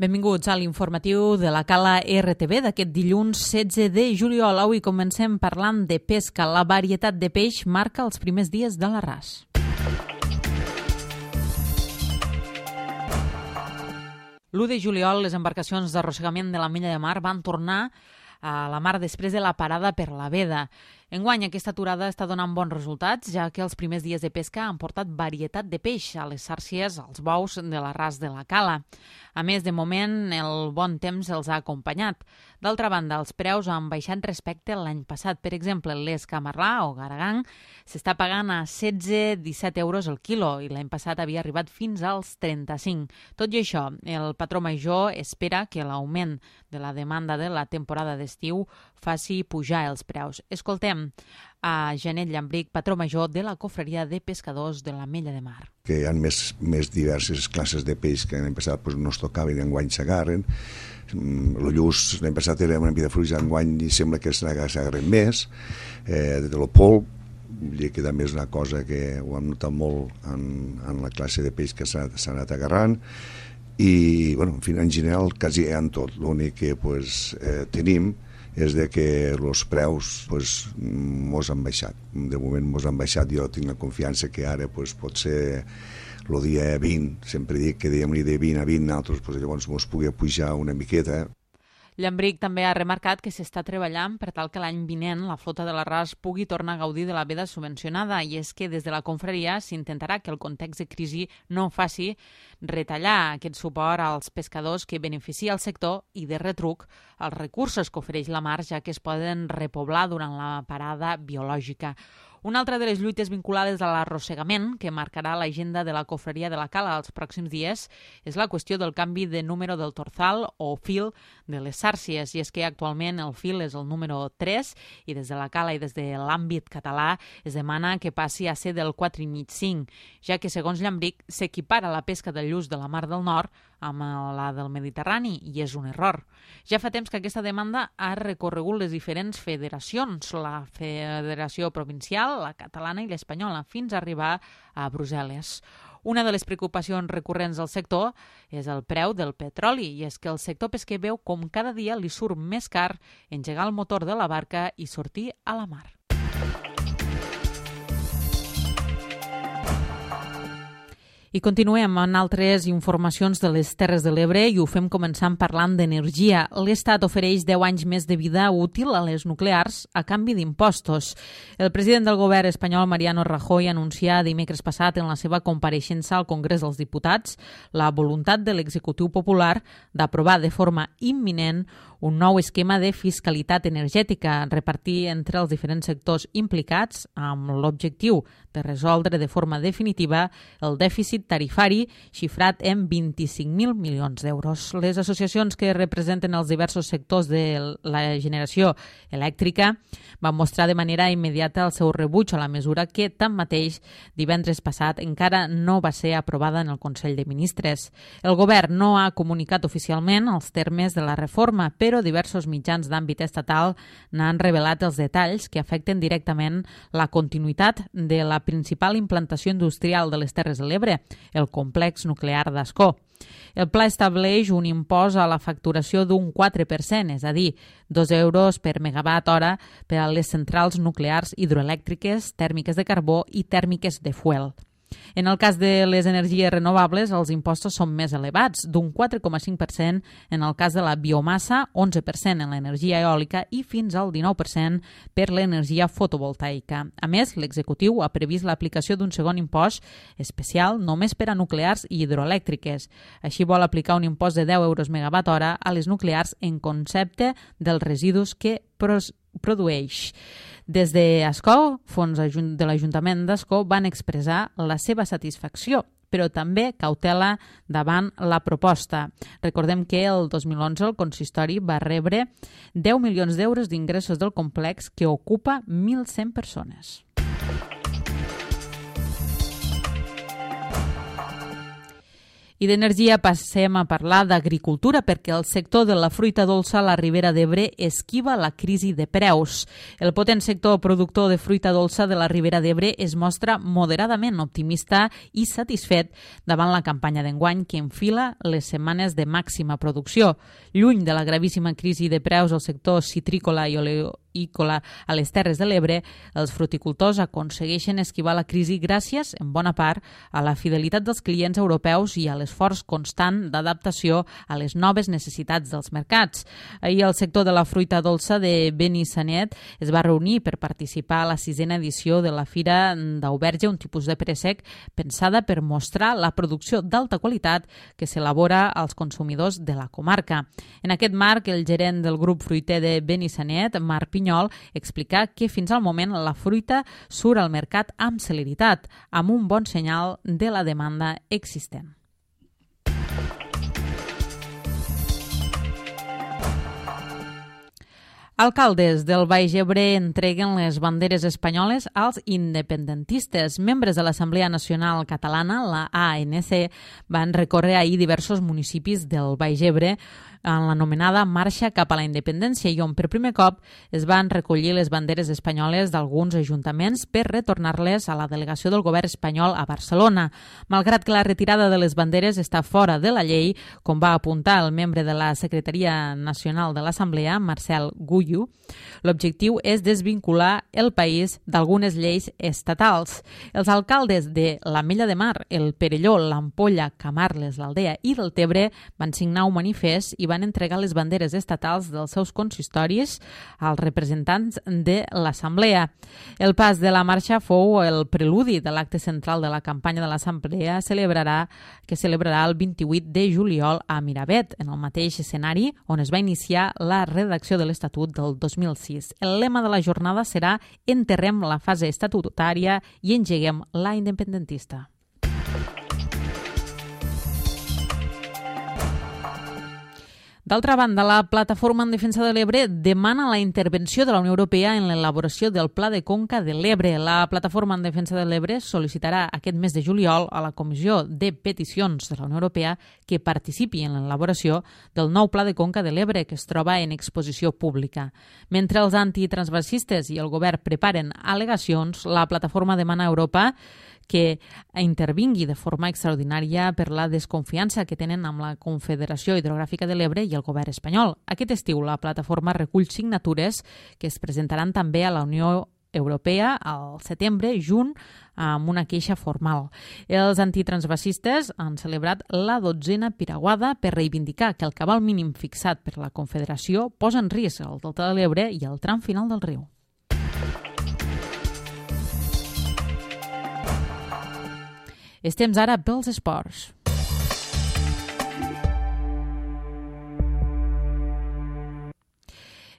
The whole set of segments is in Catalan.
Benvinguts a l'informatiu de la Cala RTV d'aquest dilluns 16 de juliol. Avui comencem parlant de pesca. La varietat de peix marca els primers dies de l'arràs. L'1 de juliol, les embarcacions d'arrossegament de l'Ametlla de Mar van tornar a la mar després de la parada per la veda. Enguany, aquesta aturada està donant bons resultats, ja que els primers dies de pesca han portat varietat de peix a les sàrcies, als bous de l'arràs de la Cala. A més, de moment, el bon temps els ha acompanyat. D'altra banda, els preus han baixat respecte a l'any passat. Per exemple, l'esca marlà o garagang s'està pagant a 16-17 euros el quilo i l'any passat havia arribat fins als 35. Tot i això, el patró major espera que l'augment de la demanda de la temporada d'estiu faci pujar els preus. Escoltem a Janet Llambric, patró major de la Cofreria de Pescadors de l'Ametlla de Mar. Que hi ha més diverses classes de peix que l'any passat no es tocaven i enguany s'agarren. El lluç l'any passat era una mica de fruita, enguany sembla que s'agarren més. De lo polp, que també és una cosa que ho hem notat molt en la classe de peix que s'ha anat agarrant. I, bueno, en fi, en general, quasi en tot. L'únic que tenim és de que els preus mos han baixat. De moment mos han baixat. Jo tinc la confiança que ara pot ser el dia 20, sempre dic que dèiem de 20 a 20, nosaltres llavors mos pugui pujar una miqueta. Llambric també ha remarcat que s'està treballant per tal que l'any vinent la flota de l'arràs pugui tornar a gaudir de la veda subvencionada, i és que des de la confraria s'intentarà que el context de crisi no faci retallar aquest suport als pescadors que beneficia el sector i, de retruc, els recursos que ofereix la mar, ja que es poden repoblar durant la parada biològica. Una altra de les lluites vinculades a l'arrossegament que marcarà l'agenda de la Cofreria de la Cala els pròxims dies és la qüestió del canvi de número del torzal o fil de les sàrcies, i és que actualment el fil és el número 3 i des de la Cala i des de l'àmbit català es demana que passi a ser del 4,5-5, ja que, segons Llambric, s'equipara la pesca del lluç de la Mar del Nord amb la del Mediterrani, i és un error. Ja fa temps que aquesta demanda ha recorregut les diferents federacions, la Federació Provincial, la catalana i l'espanyola, fins a arribar a Brussel·les. Una de les preocupacions recurrents del sector és el preu del petroli, i és que el sector pesquer veu com cada dia li surt més car engegar el motor de la barca i sortir a la mar. I continuem amb altres informacions de les Terres de l'Ebre i ho fem començant parlant d'energia. L'Estat ofereix 10 anys més de vida útil a les nuclears a canvi d'impostos. El president del govern espanyol, Mariano Rajoy, anuncià dimecres passat en la seva compareixença al Congrés dels Diputats la voluntat de l'executiu popular d'aprovar de forma imminent un nou esquema de fiscalitat energètica, repartir entre els diferents sectors implicats amb l'objectiu de resoldre de forma definitiva el dèficit tarifari xifrat en 25.000 milions d'euros. Les associacions que representen els diversos sectors de la generació elèctrica van mostrar de manera immediata el seu rebuig a la mesura que, tanmateix, divendres passat encara no va ser aprovada en el Consell de Ministres. El govern no ha comunicat oficialment els termes de la reforma, però diversos mitjans d'àmbit estatal n'han revelat els detalls que afecten directament la continuïtat de la principal implantació industrial de les Terres de l'Ebre, el complex nuclear d'Ascó. El pla estableix un impost a la facturació d'un 4%, és a dir, 2 euros per megawatt hora per a les centrals nuclears hidroelèctriques, tèrmiques de carbó i tèrmiques de fuel. En el cas de les energies renovables, els impostos són més elevats, d'un 4,5% en el cas de la biomassa, 11% en l'energia eòlica i fins al 19% per l'energia fotovoltaica. A més, l'executiu ha previst l'aplicació d'un segon impost especial només per a nuclears i hidroelèctriques. Així vol aplicar un impost de 10 euros megawatt hora a les nuclears en concepte dels residus que produeix. Des d'Ascó, fons de l'Ajuntament d'Ascó, van expressar la seva satisfacció, però també cautela davant la proposta. Recordem que el 2011 el consistori va rebre 10 milions d'euros d'ingressos del complex que ocupa 1.100 persones. I d'energia passem a parlar d'agricultura perquè el sector de la fruita dolça a la Ribera d'Ebre esquiva la crisi de preus. El potent sector productor de fruita dolça de la Ribera d'Ebre es mostra moderadament optimista i satisfet davant la campanya d'enguany que enfila les setmanes de màxima producció. Lluny de la gravíssima crisi de preus al sector citrícola i oleícola a les Terres de l'Ebre, els fruticultors aconsegueixen esquivar la crisi gràcies, en bona part, a la fidelitat dels clients europeus i a l'esforç constant d'adaptació a les noves necessitats dels mercats. Ahir el sector de la fruita dolça de Benissanet es va reunir per participar a la 6a edició de la Fira d'Auberge, un tipus de préssec pensada per mostrar la producció d'alta qualitat que s'elabora als consumidors de la comarca. En aquest marc, el gerent del grup fruiter de Benissanet, Marc Pinyol, explica que fins al moment la fruita surt al mercat amb celeritat, amb un bon senyal de la demanda existent. Alcaldes del Baix Ebre entreguen les banderes espanyoles als independentistes. Membres de l'Assemblea Nacional Catalana, la ANC, van recórrer ahir diversos municipis del Baix Ebre en l'anomenada Marxa cap a la Independència i on per primer cop es van recollir les banderes espanyoles d'alguns ajuntaments per retornar-les a la delegació del govern espanyol a Barcelona. Malgrat que la retirada de les banderes està fora de la llei, com va apuntar el membre de la Secretaria Nacional de l'Assemblea, Marcel Gullo, l'objectiu és desvincular el país d'algunes lleis estatals. Els alcaldes de l'Ametlla de Mar, el Perelló, l'Ampolla, Camarles, l'Aldea i Deltebre van signar un manifest i van entregar les banderes estatals dels seus consistoris als representants de l'Assemblea. El pas de la marxa fou el preludi de l'acte central de la campanya de l'Assemblea que celebrarà el 28 de juliol a Miravet, en el mateix escenari on es va iniciar la redacció de l'Estatut del 2006. El lema de la jornada serà «Enterrem la fase estatutària i engeguem la independentista». D'altra banda, la Plataforma en Defensa de l'Ebre demana la intervenció de la Unió Europea en l'elaboració del Pla de Conca de l'Ebre. La Plataforma en Defensa de l'Ebre sol·licitarà aquest mes de juliol a la Comissió de Peticions de la Unió Europea que participi en l'elaboració del nou Pla de Conca de l'Ebre que es troba en exposició pública. Mentre els antitransvasistes i el govern preparen al·legacions, la Plataforma demana a Europa que intervingui de forma extraordinària per la desconfiança que tenen amb la Confederació Hidrogràfica de l'Ebre i el govern espanyol. Aquest estiu la plataforma recull signatures que es presentaran també a la Unió Europea al setembre, junt amb una queixa formal. Els antitransvasistes han celebrat la 12a piraguada per reivindicar que el cabal mínim fixat per la Confederació posa en risc el delta de l'Ebre i el tram final del riu. És temps ara pels esports.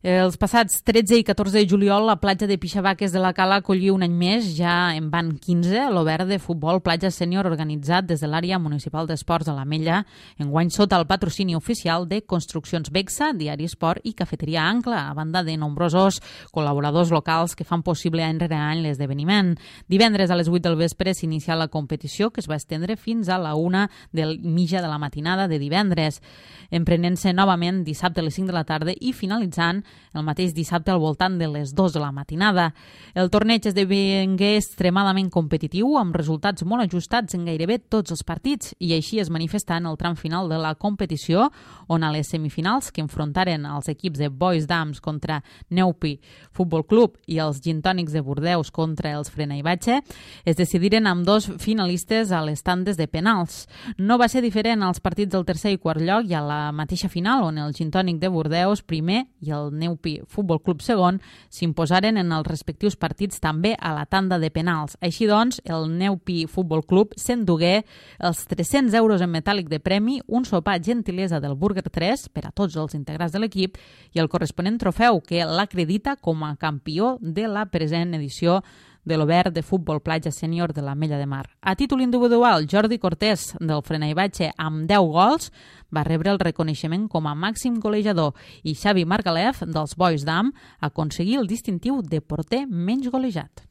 Els passats 13 i 14 de juliol, la platja de Pixavaques de la Cala acollí un any més, ja en van 15, l'Obert de Futbol Platja Sènior organitzat des de l'àrea municipal d'esports de l'Ametlla, enguany sota el patrocini oficial de Construccions Bexa, Diari Esport i Cafeteria Ancla, a banda de nombrosos col·laboradors locals que fan possible any rere any l'esdeveniment. Divendres a les 8 del vespre s'inicia la competició que es va estendre fins a la 1 del mitja de la matinada de divendres, emprenent-se novament dissabte a les 5 de la tarda i finalitzant el mateix dissabte al voltant de les 2 de la matinada. El torneig esdevingué extremadament competitiu, amb resultats molt ajustats en gairebé tots els partits, i així es manifestà en el tram final de la competició, on a les semifinals, que enfrontaren els equips de Boys Dams contra Neupi Futbol Club i els Gintònics de Bordeus contra els Frena i Batxe, es decidiren amb dos finalistes a les tandes de penals. No va ser diferent als partits del tercer i quart lloc i a la mateixa final, on el Gintònic de Bordeus primer i el Neupi Futbol Club segon s'imposaren en els respectius partits també a la tanda de penals. Així doncs, el Neupi Futbol Club s'endugué els 300 euros en metàl·lic de premi, un sopar gentilesa del Burger 3 per a tots els integrants de l'equip i el corresponent trofeu que l'acredita com a campió de la present edició de l'Obert de Futbol Platja Sènior de l'Ametlla de Mar. A títol individual, Jordi Cortés, del Frena i Batxe, amb 10 gols, va rebre el reconeixement com a màxim golejador i Xavi Margalef, dels Boys Dam, aconseguí el distintiu de porter menys golejat.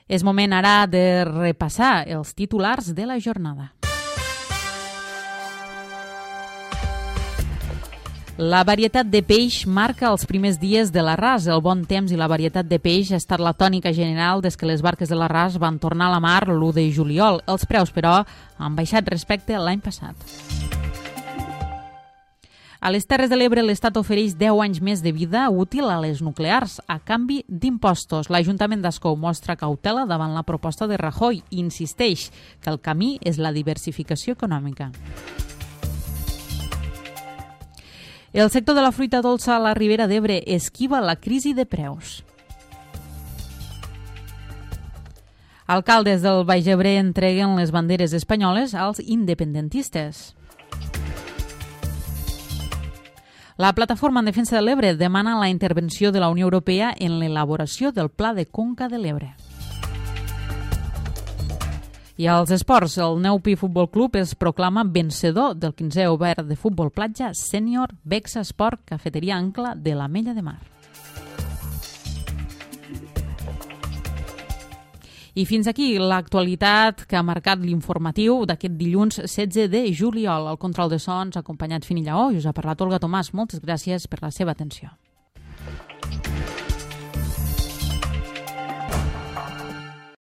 És moment ara de repassar els titulars de la jornada. La varietat de peix marca els primers dies de l'arràs. El bon temps i la varietat de peix ha estat la tònica general des que les barques de l'arràs van tornar a la mar l'1 de juliol. Els preus, però, han baixat respecte a l'any passat. A les Terres de l'Ebre, l'Estat ofereix 10 anys més de vida útil a les nuclears a canvi d'impostos. L'Ajuntament d'Ascó mostra cautela davant la proposta de Rajoy i insisteix que el camí és la diversificació econòmica. El sector de la fruita dolça a la Ribera d'Ebre esquiva la crisi de preus. Alcaldes del Baix Ebre entreguen les banderes espanyoles als independentistes. La Plataforma en Defensa de l'Ebre demana la intervenció de la Unió Europea en l'elaboració del Pla de Conca de l'Ebre. I als esports, el Neupi Futbol Club es proclama vencedor del 15è obert de futbol platja sènior Bexa Esport Cafeteria Ancla de l'Ametlla de Mar. I fins aquí l'actualitat que ha marcat l'informatiu d'aquest dilluns 16 de juliol. El control de sons ha acompanyat Fini Lleó i us ha parlat Olga Tomàs. Moltes gràcies per la seva atenció.